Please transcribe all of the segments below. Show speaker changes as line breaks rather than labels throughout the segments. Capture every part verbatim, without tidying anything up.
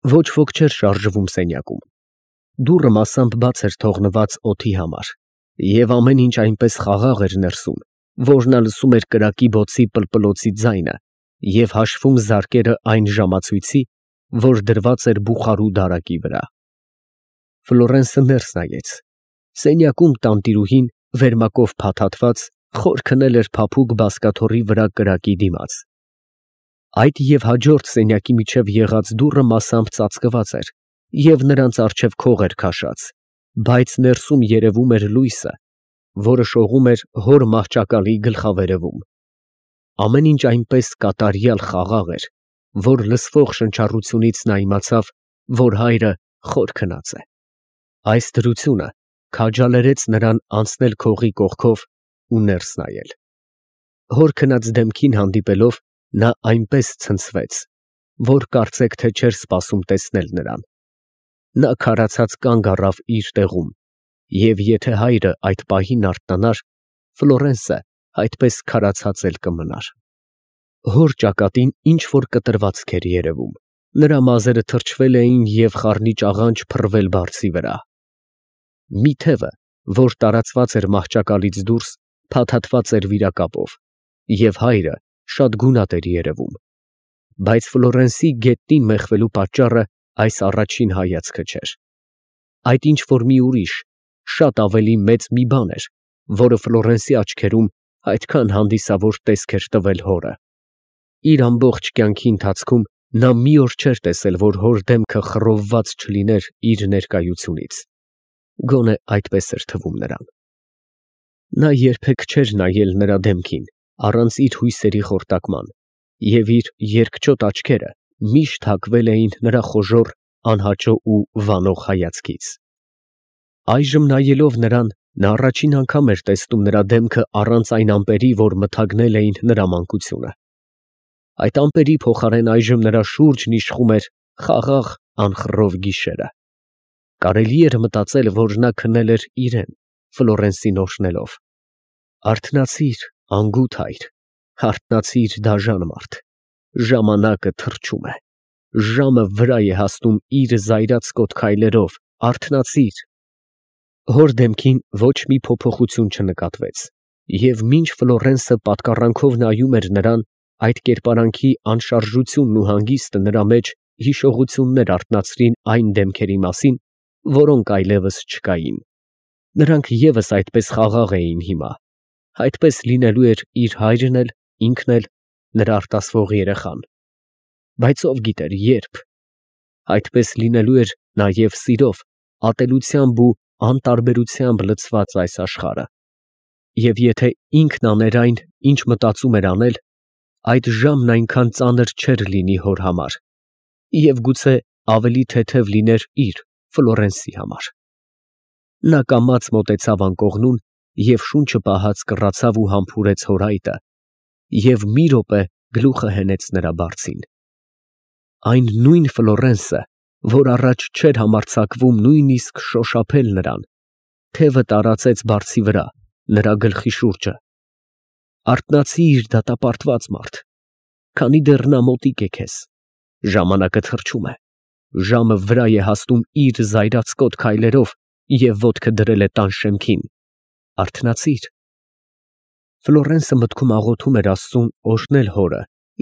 Ոչ ոք չէր շարժվում սենյակում։ Դուռը մասամբ բաց էր թողնված օդի համար, և ամեն ինչ այնպես խաղաղ էր ներսում, որ նա լսում էր կրակի բոցի պլպլոցի ձայնը և հաշվում զարկերը այն ժամացույցի, որ դրված էր բուխարու դարակի վրա։ Ֆլորենսը ներս նայեց։ Սենյակում տանտիրուհին, վերմակով փաթաթված, խոր քնել էր փափուկ բազկաթոռի վրա կրակի դիմաց։ Այդ և հաջորդ սենյակի միջև եղած դուռը մասամբ ծածկված էր և նրանց առջև քող էր քաշած, բայց ներսում երևում էր լույսը, որը շողում էր հոր մահճակալի գլխավերևում։ Ամեն ինչ այնպես կատարյալ խաղաղ էր, որ լսվող շնչառությունից նա իմացավ, որ հայրը խոր քնած է։ Այս դրությունը քաջալերեց նրան անցնել քողի կողքով ու ներս նայել։ Հոր քնած դեմքին հանդիպելով, նա այնպես ցնցվեց, որ կարծեք թե չէր սպասում տեսնել նրան։ Նա քարացած կանգ առավ իր տեղում, և եթե հայրը այդ պահին արթնանար, Ֆլորենսը այդպես քարացած էլ կմնար։ Հոր ճակատին ինչ֊որ կտրվածք էր երևում, նրա մազերը թրջվել էին և խառնիչ աղանջ փռվել բարձի վրա։ Մի թևը, որ տարածված էր մահճակալից դուրս, փաթաթված էր վիրակապով, և հայրը շատ գունատ էր երևում, բայց Ֆլորենսի գետնին մեխվելու պատճառը այս առաջին հայացքը չէր։ Այդ ինչ֊որ մի ուրիշ, շատ ավելի մեծ մի բան էր, որը Ֆլորենսի աչքերում այդքան հանդիսավոր տեսք էր տվել հորը։ Իր ամբողջ կյանքի ընթացքում նա մի օր չէր տեսել, որ հոր դեմքը խռովված չլիներ իր ներկայությունից։ Գոնե այդպես էր թվում նրան։ Նա երբեք չէր նայել նրա դեմքին առանց իր հույսերի խորտակման, և իր երկչոտ աչքերը միշտ հակվել էին նրա խոժոռ, անհաճո ու վանող հայացքից։ Այժմ նայելով նրան, նա առաջին անգամ էր տեսնում նրա դեմքը առանց այն ամպերի, որ մթագնել էին նրա մանկությունը։ Այդ ամպերի փոխարեն այժմ նրա շուրջն իշխում էր խաղաղ անխռով գիշերը։ Կարելի էր մտածել, որ նա քնել էր իրեն, Ֆլորենսին օրհնելով։ Արթնացի՛ր, անգութ հայր, հարթնացի՛ր, դաժան մարդ, ժամանակը թռչում է, ժամը վրա է հասնում իր զայրացկոտ քայլերով, արթնացի՛ր։ Հոր դեմքին ոչ մի փոփոխություն չնկատվեց, և մինչ Ֆլորենսը պատկառանքով նայում էր նրան, այդ կերպարանքի անշարժությունն ու հանգիստը նրա մեջ հիշողություններ արթնացրին այն դեմքերի մասին, որոնք այլևս չկային։ Նրանք ևս այդպես խաղաղ էին հիմա, այդպես լինելու էր իր հայրն էլ, ինքն էլ, նրա արտասվող երեխան։ Բայց ով գիտեր ե՞րբ։ Այդպես լինելու էր նաև սիրով, ատելությամբ ու անտարբերությամբ լցված այս աշխարհը։ Եվ եթե ինքն աներ այն, ինչ մտածում էր անել, այդ ժամն այնքան ծանր չէր լինի հոր համար, և գուցե ավելի թեթև լիներ իր՝ Ֆլորենսի համար։ Նա կամաց մոտեցավ անկողնուն և շունչը պահած կռացավ ու համբուրեց հոր այտը և մի րոպե գլուխը հենեց նրա բարձին։ Այն նույն Ֆլորենսը, որ առաջ չէր համարձակվում նույնիսկ շոշափել նրան, թևը տարածեց բարձի վրա, նրա գլխի շուրջը։ Արթնացի՛ր, դատապարտված մարդ, քանի դեռ նա մոտիկ է քեզ, ժամանակը թռչում է, ժամը վրա է հասնում իր զայրացկոտ քայլերով և ոտքը դրել է տան շեմքին, արթնացի՛ր։ Ֆլորենսը մտքում աղոթում էր Աստծուն օրհնել հորը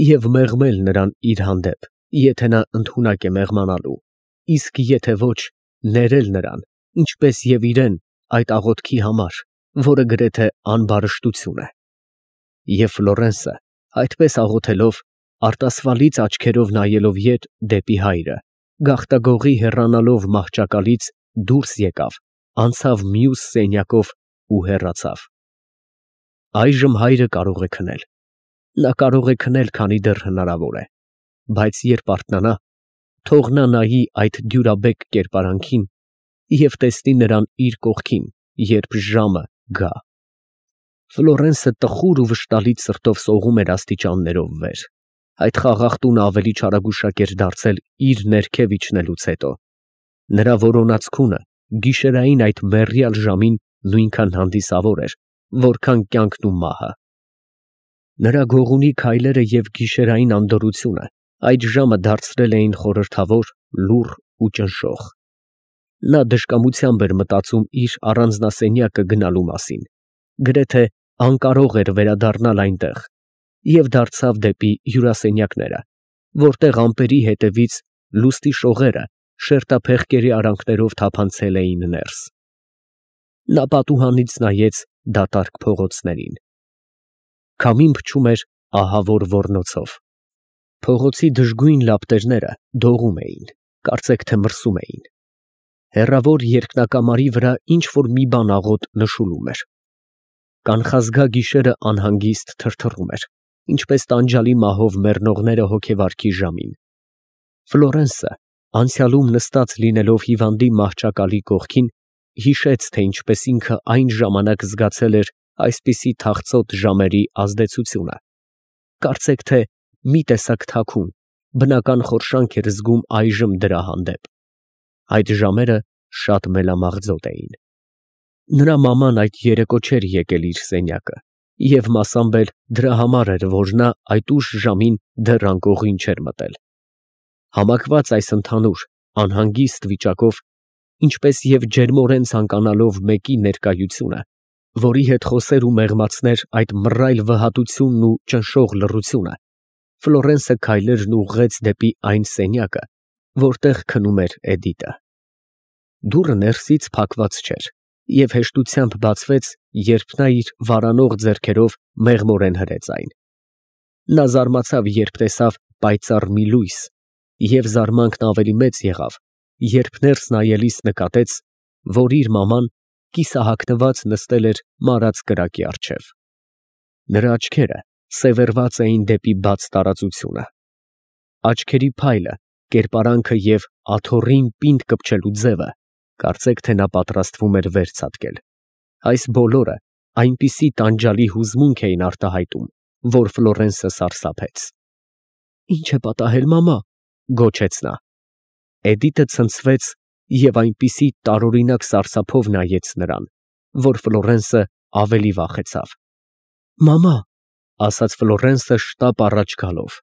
և մեղմել նրան իր հանդեպ, եթե նա ընդունակ է մեղմանալու, իսկ եթե ոչ, ներել նրան, ինչպես և իրեն, այդ աղոթքի համար, որը գրեթե անբարշտություն է։ Եվ Ֆլորենսը, այդպես աղոթելով, արտասվալից աչքերով նայելով ետ դեպի հայրը, գաղտագողի հեռանալով մահճակալից, դուրս եկավ, անցավ մյուս սենյակով ու հեռացավ։ Այժմ հայրը կարող է քնել։ Նա կարող է քնել, քանի դեռ հնարավոր է, բայց երբ արթնանա, թող նա նայի այդ դյուրաբեկ կերպարանքին և տեսնի նրան իր կողքին, երբ ժամը գա։ Ֆլորենսը տխուր ու վշտալից սրտով սողում էր աստիճաններով վեր։ Այդ խաղաղ տունը ավելի չարագուշակ էր դարձել իր ներքև իջնելուց հետո։ Նրա որոնած քունը գիշերային այդ մեռյալ ժամին նույնքան հանդիսավոր էր, որքան կյանքն ու մահը։ Նրա գողունի քայլերը և գիշերային անդորրությունը այդ ժամը դարձրել էին խորհրդավոր լուռ ու ճնշող։ Նա դժկամությամբ էր մտածում իր առանձնասենյակը գնալու մասին, գրեթե անկարող էր վերադառնալ այնտեղ, և դարձավ դեպի հյուրասենյակները, որտեղ ամպերի հետևից լուստի շողերը շերտափեղկերի արանքներով թափանցել էին ներս։ Նա պատուհանից նայեց դատարկ փողոցներին։ Քամին փչում էր ահավոր ոռնոցով։ Փողոցի դժգույն լապտերները դողում էին, կարծեք թե մրսում էին։ Հեռավոր երկնակամարի վրա ինչ֊որ մի բան աղոտ նշուլում էր։ Կանխազգա գիշերը անհանգիստ թրթռում էր, ինչպես տանջալի մահով մեռնողները հոգեվարքի ժամին։ Ֆլորենսը, անցյալում նստած լինելով հիվանդի մահճակալի կողքին, հիշեց, թե ինչպես ինքը այն ժամանակ զգացել էր այսպիսի թախծոտ ժամերի ազդեցությունը։ Կարծեք թե մի տեսակ թաքուն, բնական խորշանք էր զգում այժմ դրա հանդեպ։ Այդ ժամերը շատ մելամաղձոտ էին։ Նրա մաման այդ երեկո չէր եկել իր սենյակը, և մասամբ էլ դրա համար էր, որ նա այդ ուշ ժամին դեռ անկողին չէր մտել։ Համակված այս ընդհանուր, անհանգիստ վիճակով, ինչպես և ջերմորեն ցանկանալով մեկի ներկայությունը, որի հետ խոսեր ու մեղմացներ այդ մռայլ վհատությունն ու ճնշող լռությունը, Ֆլորենսը քայլերն ուղղեց դեպի այն սենյակը, որտեղ քնում էր Էդիտը։ Դուռը ներսից փակված չէր և հեշտությամբ բացվեց, երբ նա իր վարանող ձեռքերով մեղմորեն հրեց այն։ Նա զարմացավ, երբ տեսավ պայծառ մի լույս, և զարմանքն ավելի մեծ եղավ, երբ ներս նայելիս նկատեց, որ իր մաման կիսահագնված նստել էր մարած կրակի առջև։ Նրա աչքերը սևեռված էին դեպի բաց տարածությունը։ Աչքերի փայլը, կերպարանքը և աթոռին պինդ կպչելու ձևը, կարծեք թե նա պատրաստվում էր վեր ցատկել։ Այս բոլորը այնպիսի տանջալի հուզմունք էին արտահայտում, որ Ֆլորենսը սարսափեց։ «Ի՞նչ է պատահել, մամա», գոչեց նա։ Էդիտը ցնցվեց և այնպիսի տարօրինակ սարսափով նայեց նրան, որ Ֆլորենսը ավելի վախեցավ։ «Մամա», ասաց Ֆլորենսը շտապ առաջ գալով։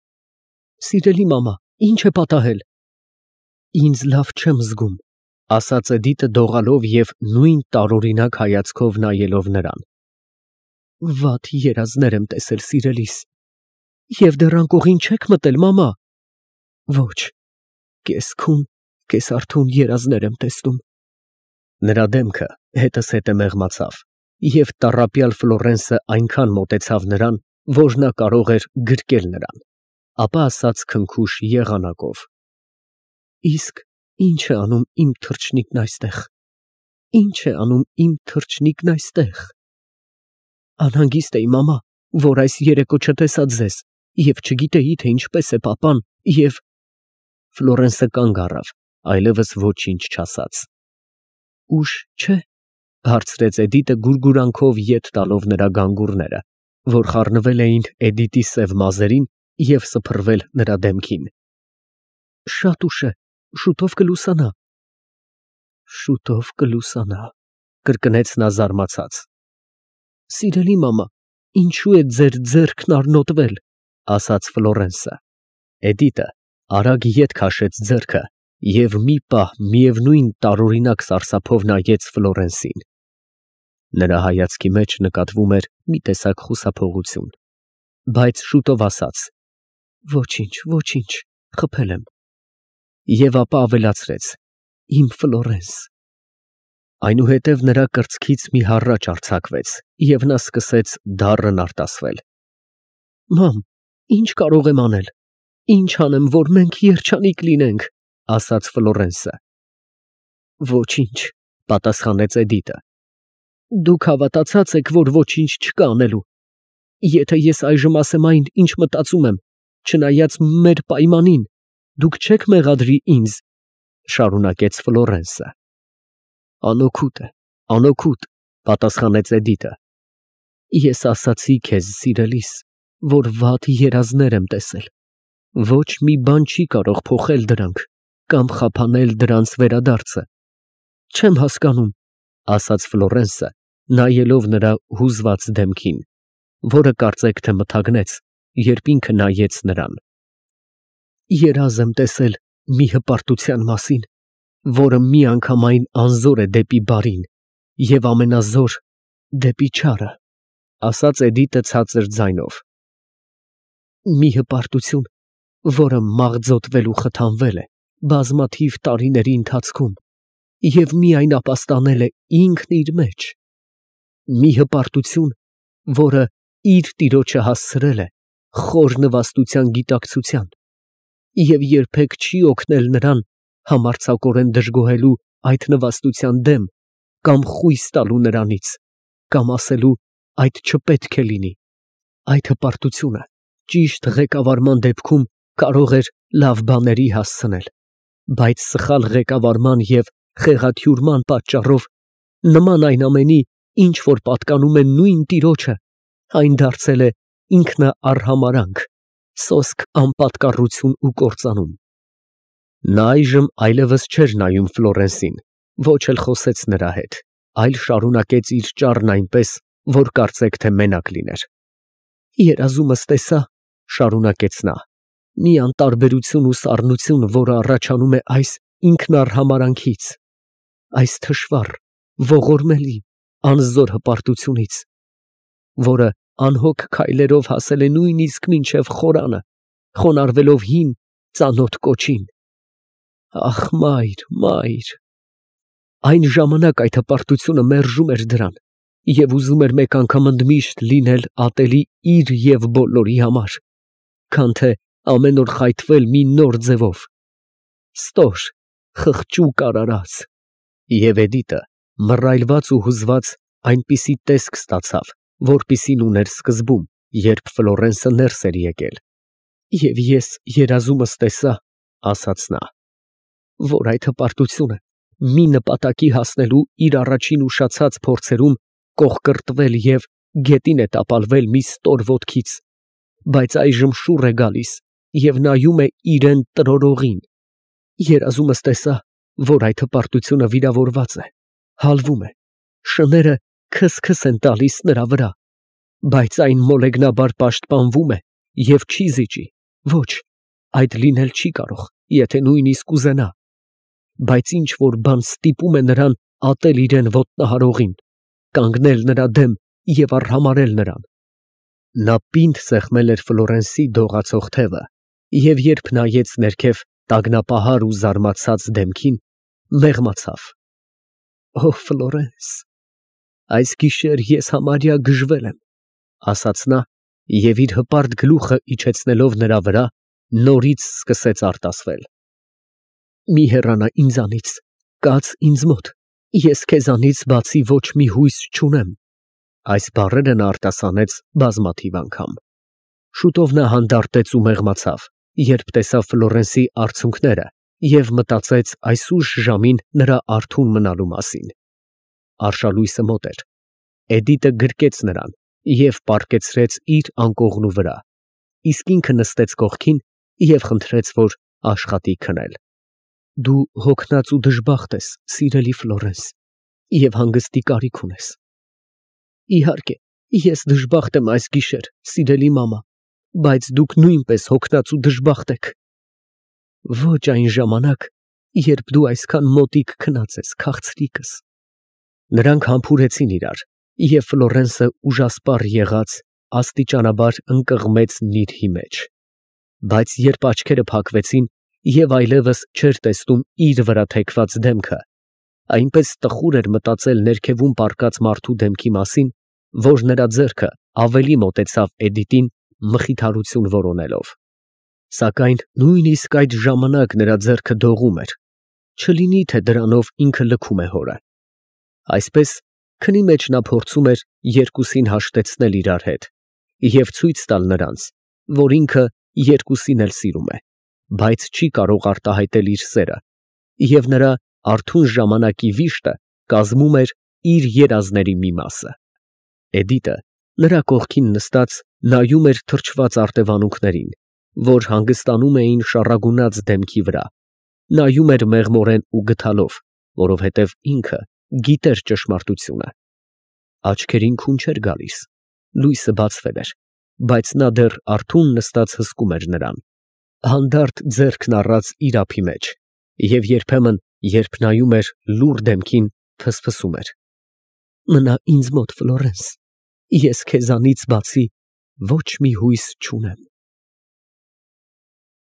«Սիրելի մամա, ի՞նչ է պատահել»։ «Ինձ լավ չեմ զգում», ասաց Էդիտը դողալով և նույն տարօրինակ հայացքով նայելով նրան։ «Վատ երազներ եմ տեսել, սիրելիս։ Եվ դեռ անկողին չե՞ք մտել, մամա»։ «Ոչ, կես֊քուն, կես֊արթուն երազներ եմ տեսնում»։ Նրա դեմքը հետզհետե մեղմացավ, և տառապյալ Ֆլորենսը այնքան մոտեցավ նրան, որ նա կարող էր գրկել նրան, ապա ասաց քնքուշ եղանակով. «Իսկ ի՞նչ է անում իմ թռչնիկն այստեղ, ի՞նչ է անում իմ թռչնիկն այստեղ»։ «Անհանգիստ էի, մամա, որ այս երեկո չտեսա ձեզ և չգիտեի, թե ինչպես է պապան, և…»։ Ֆլորենսը կանգ առավ, այլևս ոչինչ չասաց։ «Ուշ չէ՞, հարցրեց Էդիտը գուրգուրանքով ետ տալով նրա գանգուրները, որ խառնվել էին Էդիտի սև մազերին և սփռվել նրա դեմքին։ «Շատ ուշ է, շուտով կլուսանա»։ «Շուտով կլուսանա», կրկնեց նա զարմացած։ «Սիրելի մամա, ինչու է ձեր ձեռքն առնոտվել», ասաց Ֆլորենսը։ Էդիտը արագ ետ քաշեց ձեռքը և մի պահ միևնույն տարօրինակ սարսափով նայեց Ֆլորենսին։ Նրա հայացքի մեջ նկատվում էր մի տեսակ խուսափողություն, բայց շուտով ասաց. «Ոչինչ, ոչինչ, խփել եմ»։ Եվ ապա ավելացրեց. «Իմ Ֆլորենս»։ Այնուհետև նրա կրծքից մի հառաչ արձակվեց, և նա սկսեց դառն արտասվել։ «Մամ, ի՞նչ կարող եմ անել, ի՞նչ անեմ, որ մենք երջանիկ լինենք», ասաց Ֆլորենսը։ «Ոչինչ», պատասխանեց Էդիտը։ «Դուք հավատացած եք, որ ոչինչ չկա անելու։ Եթե ես այժմ ասեմ այն, ինչ մտածում եմ, չնայած մեր պայմանին, դուք չե՞ք մեղադրի ինձ», շարունակեց Ֆլորենսը։ «Անօգուտ է, անօգուտ», պատասխանեց Էդիտը։ «Ես ասացի քեզ, սիրելիս, որ վատ երազներ եմ տեսել։ Ոչ մի բան չի կարող փոխել դրանք կամ խափանել դրանց վերադարձը»։ «Չեմ հասկանում», ասաց Ֆլորենսը, նայելով նրա հուզված դեմքին, որը կարծեք թե մթագնեց, երբ ինքը նայեց նրան։ «Երազ եմ տեսել, Մի հպարտության մասին, որը միանգամայն անզոր է դեպի բարին և ամենազոր դեպի չարը, ասաց Էդիտը ցածր ձայնով։ Մի հպարտություն, որը մաղձոտվել ու խթանվել է բազմաթիվ տարիների ընթացքում և միայն ապաստանել է ինքն իր մեջ։ Մի հպարտություն, որը իր տիրոջը հասցրել է խոր նվաստության գիտակցության և երբեք չի օգնել նրան համարձակորեն դժգոհելու այդ նվաստության դեմ կամ խույս տալու նրանից, կամ ասելու այդ չպետք է լինի։ Այդ հպարտությունը ճիշտ ղեկավարման դեպքում կարող էր լավ բաների հասցնել, բայց սխալ ղեկավարման և խեղաթյուրման պատճառով, նման այն ամենի, ինչ որ պատկանում է նույն տիրոջը, այն դարձել է ինքնաառհամարանք, սոսկ անպատկառություն ու կործանում։ Նա այժմ այլևս չէր նայում Ֆլորենսին, ոչ էլ խոսեց նրա հետ, այլ շարունակեց իր ճառն այնպես, որ կարծեք թե մենակ լիներ։ Երազումս տեսա, շարունակեց նա, մի անտարբերություն ու սառնություն, որը առաջանում է այս ինքնաառհամարանքից, այս թշվառ, ողորմելի, անզոր հպարտությունից, որը անհոգ քայլերով հասել է նույնիսկ մինչև խորանը, խոնարհվելով հին, ծանոթ կոչին։ Ախ, մայր, մայր… Այն ժամանակ այդ հպարտությունը մերժում էր դրան և ուզում էր մեկ անգամ ընդմիշտ լինել ատելի իր և բոլորի համար, քան թե ամեն օր խայթվել մի նոր ձևով, ստոր, խղճուկ արարած… Եվ Էդիտը, մռայլված ու հուզված, այնպիսի տեսք ստացավ, որպիսին ուներ սկզբում, երբ Ֆլորենսը ներս էր եկել։ Եվ ես երազումս տեսա, ասաց նա, որ այդ հպարտությունը մի նպատակի հասնելու իր առաջին ուշացած փորձերում կոխկրտվել և գետին է տապալվել մի ստոր ոտքից, բայց այժմ շուռ է գալիս և նայում է իրան տրորողին։ Երազումս տեսա, որ այդ հպարտությունը վիրավորված է, հալվում է, շները քս֊քս են տալիս նրա վրա, բայց այն մոլեգնաբար պաշտպանվում է և չի զիջի, ոչ, այդ լինել չի կարող, եթե նույնիսկ ուզենա, բայց ինչ֊որ բան ստիպում է նրան ատել իրան ոտնահարողին, կանգնել նրա դեմ և արհամարհել նրան։ Նա պինդ սեղմել էր Ֆլորենսի դողացող թևը և երբ նայեց ներքև տագնապահար ու զարմացած դեմքին, մեղմացավ։ Օ, Ֆլորենս, այս գիշեր ես համարյա գժվել եմ, ասաց նա և իր հպարտ գլուխը իջեցնելով նրա վրա, նորից սկսեց արտասվել։ Մի հեռանա ինձանից, կաց ինձ մոտ, ես քեզանից բացի ոչ մի հույս չունեմ։ Այս բառերը նա արտասանեց բազմաթիվ անգամ։ Շուտով նա հանդարտեց ու մեղմացավ, երբ տեսավ Ֆլորենսի արցունքները և մտածեց այս ուշ ժամին նրա արթուն մնալու մասին։ Արշալույսը մոտ էր։ Էդիտը գրկեց նրան և պառկեցրեց իր անկողնու վրա, իսկ ինքը նստեց կողքին և խնդրեց, որ աշխատի քնել։ Դու հոգնած ու դժբախտ ես, սիրելի Ֆլորենս, և հանգստի կարիք ունես։ Իհարկե, ես դժբախտ եմ այս գիշեր, սիրելի մամա, բայց դուք նույնպես հոգնած ու դժբախտ եք։ Ոչ այն ժամանակ, երբ դու այսքան մոտիկ քնած ես, քաղցրիկս։ Նրանք համբուրեցին իրար, և Ֆլորենսը ուժասպառ եղած, աստիճանաբար ընկղմեց նիրհի մեջ, բայց երբ աչքերը փակվեցին և այլևս չէր տեսնում իր վրա թեքված դեմքը, այնպես տխուր էր մտածել ներքևում պառկած մարդու դեմքի մասին, որ նրա ձեռքը ավելի մոտեցավ Էդիտին մխիթարություն որոնելով։ Սակայն նույնիսկ այդ ժամանակ նրա ձեռքը դողում էր, չլինի թե դրանով ինքը լքում է հորը։ Այսպես, քնի մեջ նա փորձում էր երկուսին հաշտեցնել իրար հետ և ցույց տալ նրանց, որ ինքը երկուսին էլ սիրում է, բայց չի կարող արտահայտել իր սերը, և նրա արթուն ժամանակի վիշտը կազմում էր իր երազների մի մասը։ Էդիտը, նրա կողքին նստած, նայում էր թրջված արտևանունքներին, որ հանգստանում էին շառագունած դեմքի վրա, նայում էր մեղմորեն ու գթալով, որովհետև ինքը գիտեր ճշմարտությունը։ Աչքերին քուն չէր գալիս, լույսը բացվել էր, բայց նա դեռ արթուն նստած հսկում էր նրան։ Հանդարտ ձեռքն առած իր ափի մեջ, և երբեմն, երբ նայում էր լուռ դեմքին, ֆսֆսում էր. «Մնա ինձ մոտ, Ֆլորենս, ես քեզանից բացի ոչ մի հույս չունեմ»։